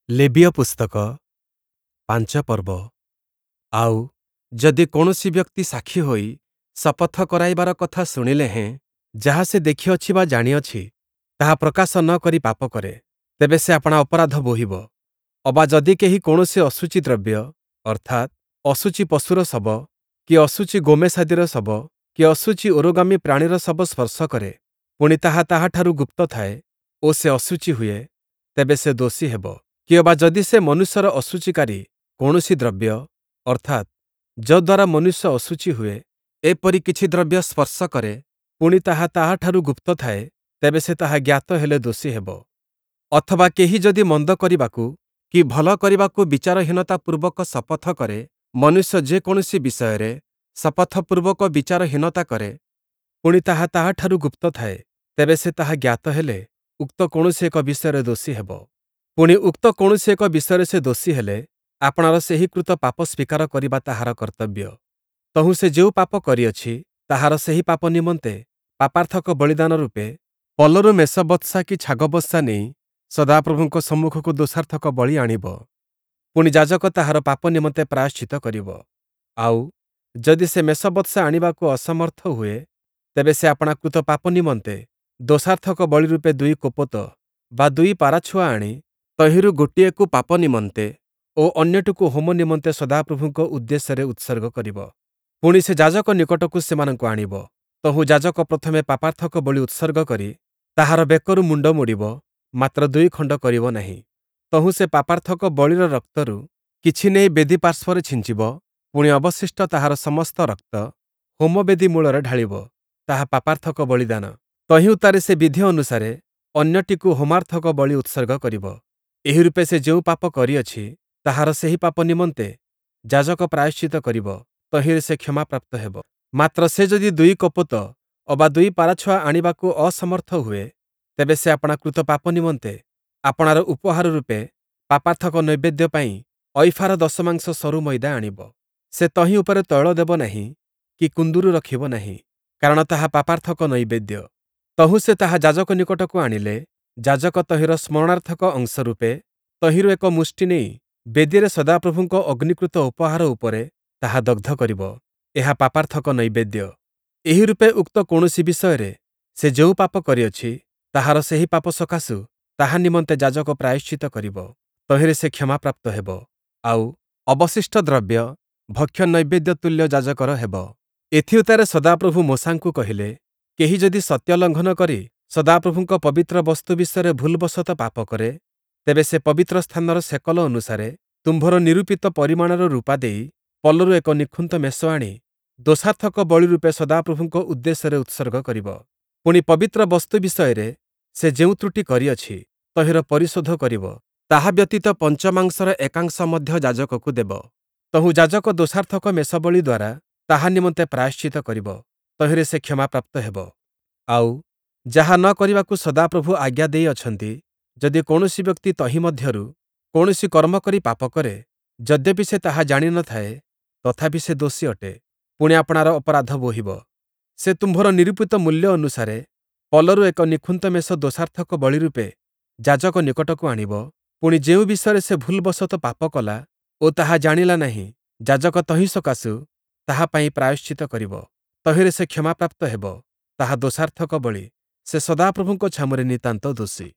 ଲେବୀୟ ପୁସ୍ତକ, ପାଞ୍ଚ ପର୍ବ। ଆଉ, ଯଦି କୌଣସି ବ୍ୟକ୍ତି ସାକ୍ଷୀ ହୋଇ ଶପଥ କରାଇବାର କଥା ଶୁଣିଲେ ହେଁ ଯାହା ସେ ଦେଖିଅଛି ବା ଜାଣିଅଛି, ତାହା ପ୍ରକାଶ ନ କରି ପାପ କରେ, ତେବେ ସେ ଆପଣା ଅପରାଧ ବୋହିବ। ଅବା ଯଦି କେହି କୌଣସି ଅଶୁଚି ଦ୍ରବ୍ୟ, ଅର୍ଥାତ୍, ଅଶୁଚି ପଶୁର ଶବ, କି ଅଶୁଚି ଗୋମେଷାଦିର ଶବ, କି ଅଶୁଚି ଉରୋଗାମୀ ପ୍ରାଣୀର ଶବ ସ୍ପର୍ଶ କରେ, ପୁଣି ତାହା ତାହାଠାରୁ ଗୁପ୍ତ ଥାଏ ଓ ସେ ଅଶୁଚି ହୁଏ, ତେବେ ସେ ଦୋଷୀ ହେବ। କିଅବା ଯଦି ସେ ମନୁଷ୍ୟର ଅଶୁଚିକାରୀ କୌଣସି ଦ୍ରବ୍ୟ, ଅର୍ଥାତ୍, ଯଦ୍ୱାରା ମନୁଷ୍ୟ ଅଶୁଚି ହୁଏ, ଏପରି କିଛି ଦ୍ରବ୍ୟ ସ୍ପର୍ଶ କରେ, ପୁଣି ତାହା ତାହାଠାରୁ ଗୁପ୍ତ ଥାଏ, ତେବେ ସେ ତାହା ଜ୍ଞାତ ହେଲେ ଦୋଷୀ ହେବ। ଅଥବା କେହି ଯଦି ମନ୍ଦ କରିବାକୁ କି ଭଲ କରିବାକୁ ବିଚାରହୀନତା ପୂର୍ବକ ଶପଥ କରେ, ମନୁଷ୍ୟ ଯେ କୌଣସି ବିଷୟରେ ଶପଥପୂର୍ବକ ବିଚାରହୀନତା କରେ, ପୁଣି ତାହା ତାହାଠାରୁ ଗୁପ୍ତ ଥାଏ, ତେବେ ସେ ତାହା ଜ୍ଞାତ ହେଲେ ଉକ୍ତ କୌଣସି ଏକ ବିଷୟରେ ଦୋଷୀ ହେବ। ପୁଣି ଉକ୍ତ କୌଣସି ଏକ ବିଷୟରେ ସେ ଦୋଷୀ ହେଲେ, ଆପଣାର ସେହି କୃତ ପାପ ସ୍ଵୀକାର କରିବା ତାହାର କର୍ତ୍ତବ୍ୟ। ତହୁଁ ସେ ଯେଉଁ ପାପ କରିଅଛି, ତାହାର ସେହି ପାପ ନିମନ୍ତେ ପାପାର୍ଥକ ବଳିଦାନ ରୂପେ ପଲରୁ ମେଷବତ୍ସା କି ଛାଗବତ୍ସା ନେଇ ସଦାପ୍ରଭୁଙ୍କ ସମ୍ମୁଖକୁ ଦୋଷାର୍ଥକ ବଳି ଆଣିବ। ପୁଣି ଯାଜକ ତାହାର ପାପ ନିମନ୍ତେ ପ୍ରାୟଶ୍ଚିତ୍ତ କରିବ। ଆଉ, ଯଦି ସେ ମେଷବତ୍ସା ଆଣିବାକୁ ଅସମର୍ଥ ହୁଏ, ତେବେ ସେ ଆପଣା କୃତ ପାପ ନିମନ୍ତେ ଦୋଷାର୍ଥକ ବଳି ରୂପେ ଦୁଇ କୋପତ ବା ଦୁଇ ପାରାଛୁଆ ଆଣି ତହିଁରୁ ଗୋଟିଏକୁ ପାପ ନିମନ୍ତେ ଓ ଅନ୍ୟଟିକୁ ହୋମ ନିମନ୍ତେ ସଦାପ୍ରଭୁଙ୍କ ଉଦ୍ଦେଶ୍ୟରେ ଉତ୍ସର୍ଗ କରିବ। ପୁଣି ସେ ଯାଜକ ନିକଟକୁ ସେମାନଙ୍କୁ ଆଣିବ। ତହୁଁ ଯାଜକ ପ୍ରଥମେ ପାପାର୍ଥକ ବଳି ଉତ୍ସର୍ଗ କରି ତାହାର ବେକରୁ ମୁଣ୍ଡ ମୋଡ଼ିବ, ମାତ୍ର ଦୁଇ ଖଣ୍ଡ କରିବ ନାହିଁ। ତହୁଁ ସେ ପାପାର୍ଥକ ବଳିର ରକ୍ତରୁ କିଛି ନେଇ ବେଦୀ ପାର୍ଶ୍ୱରେ ଛିଞ୍ଚିବ, ପୁଣି ଅବଶିଷ୍ଟ ତାହାର ସମସ୍ତ ରକ୍ତ ହୋମବେଦୀ ମୂଳରେ ଢାଳିବ। ତାହା ପାପାର୍ଥକ ବଳିଦାନ। ତହିଁ ଉତ୍ତାରେ ସେ ବିଧି ଅନୁସାରେ ଅନ୍ୟଟିକୁ ହୋମାର୍ଥକ ବଳି ଉତ୍ସର୍ଗ କରିବ। ଏହି ରୂପେ ସେ ଯେଉଁ ପାପ କରିଅଛି, ତାହାର ସେହି ପାପ ନିମନ୍ତେ ଯାଜକ ପ୍ରାୟଶ୍ଚିତ୍ତ କରିବ, ତହିଁରେ ସେ କ୍ଷମାପ୍ରାପ୍ତ ହେବ। ମାତ୍ର ସେ ଯଦି ଦୁଇ କପୋତ ଅବା ଦୁଇ ପାରାଛୁଆ ଆଣିବାକୁ ଅସମର୍ଥ ହୁଏ, ତେବେ ସେ ଆପଣା କୃତ ପାପ ନିମନ୍ତେ ଆପଣାର ଉପହାର ରୂପେ ପାପାର୍ଥକ ନୈବେଦ୍ୟ ପାଇଁ ଐଫାର ଦଶମାଂଶ ସରୁ ମଇଦା ଆଣିବ। ସେ ତହିଁ ଉପରେ ତୈଳ ଦେବ ନାହିଁ କି କୁନ୍ଦୁରୁ ରଖିବ ନାହିଁ, କାରଣ ତାହା ପାପାର୍ଥକ ନୈବେଦ୍ୟ। ତହୁଁ ସେ ତାହା ଯାଜକ ନିକଟକୁ ଆଣିଲେ, ଯାଜକ ତହିଁର ସ୍ମରଣାର୍ଥକ ଅଂଶ ରୂପେ ତହିଁରୁ ଏକ ମୁଷ୍ଟି ନେଇ ବେଦୀରେ ସଦାପ୍ରଭୁଙ୍କ ଅଗ୍ନିକୃତ ଉପହାର ଉପରେ ତାହା ଦଗ୍ଧ କରିବ। ଏହା ପାପାର୍ଥକ ନୈବେଦ୍ୟ। ଏହି ରୂପେ ଉକ୍ତ କୌଣସି ବିଷୟରେ ସେ ଯେଉଁ ପାପ କରିଅଛି, ତାହାର ସେହି ପାପ ସକାଶୁ ତାହା ନିମନ୍ତେ ଯାଜକ ପ୍ରାୟଶ୍ଚିତ୍ତ କରିବ, ତହିଁରେ ସେ କ୍ଷମାପ୍ରାପ୍ତ ହେବ। ଆଉ, ଅବଶିଷ୍ଟ ଦ୍ରବ୍ୟ ଭକ୍ଷ୍ୟ ନୈବେଦ୍ୟ ତୁଲ୍ୟ ଯାଜକର ହେବ। ଏଥିଉତ୍ତାରେ ସଦାପ୍ରଭୁ ମୋଶାଙ୍କୁ କହିଲେ, କେହି ଯଦି ସତ୍ୟ ଲଙ୍ଘନ କରି ସଦାପ୍ରଭୁଙ୍କ ପବିତ୍ର ବସ୍ତୁ ବିଷୟରେ ଭୁଲବଶତଃ ପାପ କରେ, ତେବେ ସେ ପବିତ୍ର ସ୍ଥାନର ସେକଲ ଅନୁସାରେ ତୁମ୍ଭର ନିରୂପିତ ପରିମାଣର ରୂପା ଦେଇ ପଲରୁ ଏକ ନିଖୁନ୍ତ ମେଷ ଆଣି ଦୋଷାର୍ଥକ ବଳି ରୂପେ ସଦାପ୍ରଭୁଙ୍କ ଉଦ୍ଦେଶ୍ୟରେ ଉତ୍ସର୍ଗ କରିବ। ପୁଣି ପବିତ୍ର ବସ୍ତୁ ବିଷୟରେ ସେ ଯେଉଁ ତ୍ରୁଟି କରିଅଛି, ତହିଁର ପରିଶୋଧ କରିବ। ତାହା ବ୍ୟତୀତ ପଞ୍ଚମାଂଶର ଏକାଂଶ ମଧ୍ୟ ଯାଜକକୁ ଦେବ। ତହୁଁ ଯାଜକ ଦୋଷାର୍ଥକ ମେଷବଳି ଦ୍ୱାରା ତାହା ନିମନ୍ତେ ପ୍ରାୟଶ୍ଚିତ୍ତ କରିବ, ତହିଁରେ ସେ କ୍ଷମାପ୍ରାପ୍ତ ହେବ। ଆଉ, ଯାହା ନ କରିବାକୁ ସଦାପ୍ରଭୁ ଆଜ୍ଞା ଦେଇଅଛନ୍ତି, ଯଦି କୌଣସି ବ୍ୟକ୍ତି ତହିଁ ମଧ୍ୟରୁ କୌଣସି କର୍ମ କରି ପାପ କରେ, ଯଦ୍ୟପି ସେ ତାହା ଜାଣି ନ ଥାଏ, ତଥାପି ସେ ଦୋଷୀ ଅଟେ, ପୁଣି ଆପଣାର ଅପରାଧ ବୋହିବ। ସେ ତୁମ୍ଭର ନିରୂପିତ ମୂଲ୍ୟ ଅନୁସାରେ ପଲରୁ ଏକ ନିଖୁନ୍ତ ମେଷ ଦୋଷାର୍ଥକ ବଳି ରୂପେ ଯାଜକ ନିକଟକୁ ଆଣିବ। ପୁଣି ଯେଉଁ ବିଷୟରେ ସେ ଭୁଲବଶତଃ ପାପ କଲା ଓ ତାହା ଜାଣିଲା ନାହିଁ, ଯାଜକ ତହିଁ ସକାଶୁ ତାହା ପାଇଁ ପ୍ରାୟଶ୍ଚିତ୍ତ କରିବ, ତହିଁରେ ସେ କ୍ଷମାପ୍ରାପ୍ତ ହେବ। ତାହା ଦୋଷାର୍ଥକ ବଳି, ସେ ସଦାପ୍ରଭୁଙ୍କ ଛାମୁରେ ନିତାନ୍ତ ଦୋଷୀ।